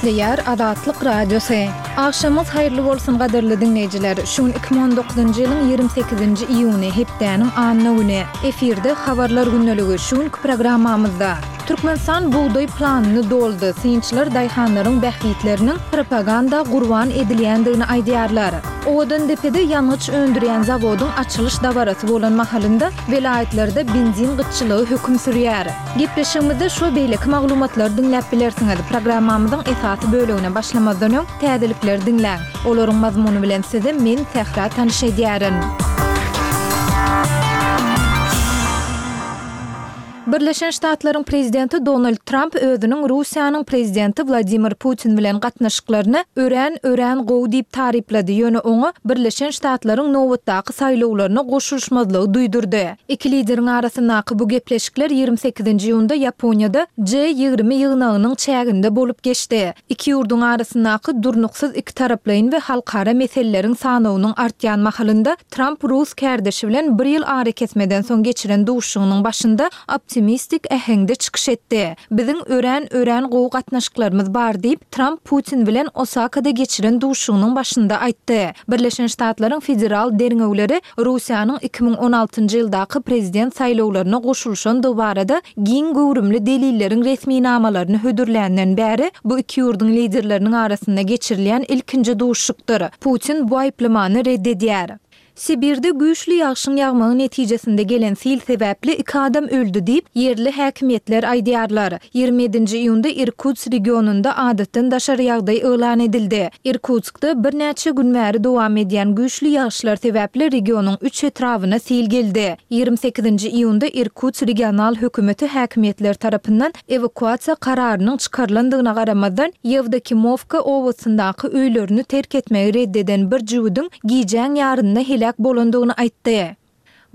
Gepleýär Azatlyk Radiosy. Agşamyňyz haýyrly bolsun gadyrly diňleýjiler! Şu gün 2019-njy ýylyň 28-nji iýuny, hepdäniň anna güni. Efirde Habarlar gündeligi. Şu günki programmamyzda. Türkmenistan bugdaý planyny doldy, synçylar daýhanlaryň bähbitleriniň propaganda gurban edilýändigini aýdýarlar. Owadandepede ýangyç öndürýän zawodyň açylyş dabarasy bolan mahalynda welaýatlarda benzin gytçylygy höküm sürýär. Gepleşigimizde şu we beýleki maglumatlary diňläp bilersiňiz. Programmamyzyň esasy bölegine başlamazdan öň, täzelikleri diňläň. Olaryň mazmuny bilen sizi men, Sähra tanyş edýärin. Birleşen Ştatlaryň prezidenti Donald Tramp özüniň Russiýanyň prezidenti Wladimir Putin bilen gatnaşyklaryny örän, örän gowy diýip taryplady, ýöne oňa Birleşen Ştatlaryň nobatdaky saýlawlaryna goşulyşmazlygy duýdurdy. Iki lideriň arasyndaky bu gepleşikler 28-nji iýunda Ýaponiýada G 20 ýygnagynyň çäginde bolup geçdi. Iki ýurduň arasyndaky durnuksyz ikitaraplaýyn we halkara meseleleriň sanawynyň artýan mahalynda Tramp rus kärdeşi bilen bir ýyl arakesmeden soň geçiren duşuşygynyň başynda optimistik äheňde çykyş etdi. Biziň örän, örän gowy gatnaşyklarymyz bar diýip, Tramp Putin bilen Osakada geçiren duşuşygynyň başynda aýtdy. Birleşen Ştatlaryň federal derňewleri Russiýanyň 2016-njy ýyldaky prezident saýlawlaryna goşulyşandygy barada giň göwrümli delilleriň resminamalaryny hödürländen bäri bu iki ýurduň liderleriniň arasynda geçirilýän ilkinji duşuşykdyr. Putin bu aýyplamany red edýär. Sibirde güýçli ýagşyň ýagmagy netijesinde gelen sil sebäpli iki adam öldi diýip, ýerli häkimiýetler aýdýarlar. 27-nji iýunda Irkutsk regionynda adatdan daşary ýagdaý yglan edildi. Irkutskda birnäçe gün bäri dowam edýän güýçli ýagyşlar sebäpli regionyň üç etrabyna sil geldi. 28-nji iýunda Irkutsk regional hökümeti häkimiýetler tarapyndan ewakuasiýa kararynyň çykarylandygyna garamazdan, Ýewdokimowka obasyndaky öýlerini terk etmegi red eden bir jübüdiň gijäň ýarynda heläk bolandygyny aýtdy.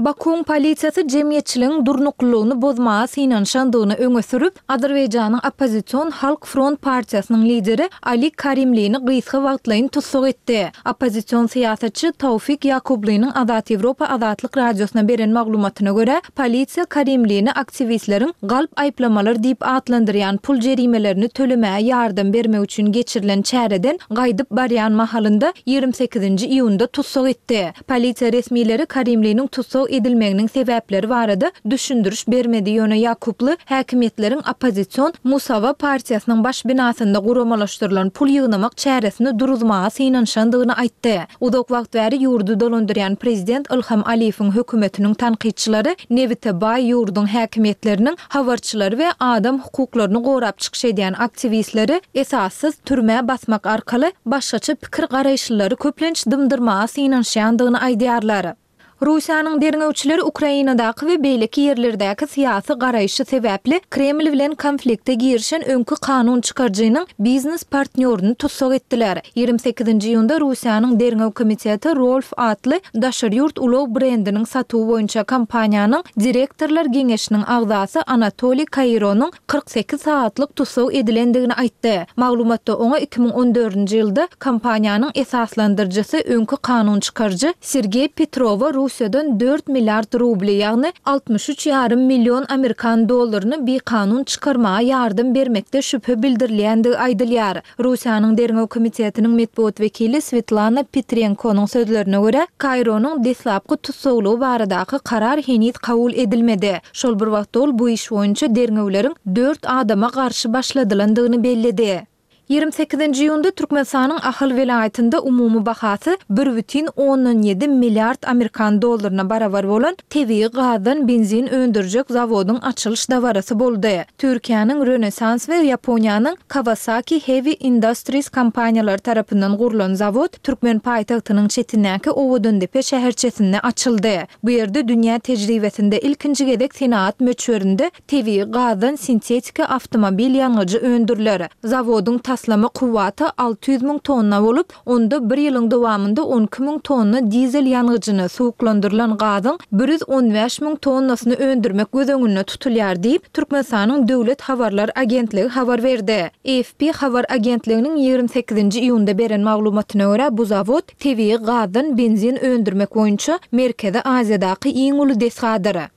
Bakuwyň polisiýasy jemgyýetçiligiň durnuklylygyny bozmaga synanyşandygyny öňe sürüp, Azerbaýjanyň oppozision Halk front partiýasynyň lideri Ali Karimlini gysga wagtlaýyn tussag etdi. Oppozision syýasatçy Taufik Ýakublynyň Azat Ýewropa Azatlyk Radiosyna beren maglumatyna görä, polisiýa Karimlini aktiwistleriň galp aýyplamalar diýip atlandyrýan pul jerimelerini tölemäge ýardam bermek üçin geçirilen çäreden gaýdyp barýan mahalynda 28-nji iýunda tussag etdi. Polisiýa resmileri Karimliniň tussag edilmeginiň sebäpleri barada düşündiriş bermedi, ýöne Ýakuply häkimiýetleriň oppozision Musawa partiýasynyň baş binasynda guramalaşdyrylan pul ýygnamak çäresini duruzmaga synanyşandygyny aýtdy. Uzak wagt bäri ýurdy dolandyrýan prezident Ilham Aliýewiň hökümetiniň tankytçylary nebite baý ýurduň häkimiýetleriniň habarçylary we adam hukuklaryny gorap çykyş edýän aktiwistleri esassyz türmä basmak arkaly başgaça pikir-garaýyşlylary köplenç dymdyrmaga synanyşýandygyny aýdýarlar. Russiýanyň derňewçileri Ukrainadaky we beýleki ýerlerdäki syýasy garaýşy sebäpli Kreml bilen konflikte girişen öňki kanun çykaryjynyň biznes partnýoryny tussag etdiler. 28-nji iýunda Russiýanyň Derňew komiteti Rolf atly daşary ýurt ulag brendiniň satuwy boýunça kompaniýanyň direktorlar geňeşiniň agzasy Anatoliý Kaironyň 48 sagatlyk tussag edilendigini aýtdy. Maglumatda oňa 2014-nji ýylda kompaniýanyň esaslandyryjysy, öňki kanun çykaryjy Sergeý Petrowa Russiýadan dört milliard rubly, ýagny 63 ýarym million amerikan dollaryny bikanun çykarmaga ýardam bermekde şübhe bildirilýändigi aýdylýar. Russiýanyň Derňew komitetiniň metbugat wekili Swetlana Petrenkonyň sözlerine görä, Kaironyň deslapky tussaglygy baradaky karar heniz kabul edilmedi. Şol bir wagtda ol bu iş boýunça derňewleriň dört adama garşy başladylandygyny belledi. 28-nji iýunda Türkmenistanyň Ahal welaýatynda umumy bahasy bir bütin ondan ýedi milliard amerikan dollaryna barabar bolan tebigy gazdan benzin öndürjek zawodyň açylyş dabarasy boldy. Türkiýäniň Rönesans we Ýaponiýanyň Kawasaki Heavy Industries kompaniýalary tarapyndan gurlan zawod türkmen paýtagtynyň çetindäki Owadandepe şäherçesinde açyldy. Bu ýerde dünýä tejribesinde ilkinji gezek senagat möçberinde tebigy gazdan sintetiki awtomobil ýangyjy öndüriler. Zawodyň taslama kuwwaty 600 müň tonna bolup, onda bir ýylyň dowamynda 12 müň tonna dizel ýangyjyny, suwuklandyrylan gazyň 115 müň tonnasyny öndürmek göz öňünde tutulýar diýip, Türkmenistanyň Döwlet habarlar agentligi habar berdi. AFP habar agentliginiň 28-nji iýunda beren maglumatyna görä, bu zawod tebigy gazdan benzin öndürmek boýunça Merkezi Aziýadaky iň uly desgadyr.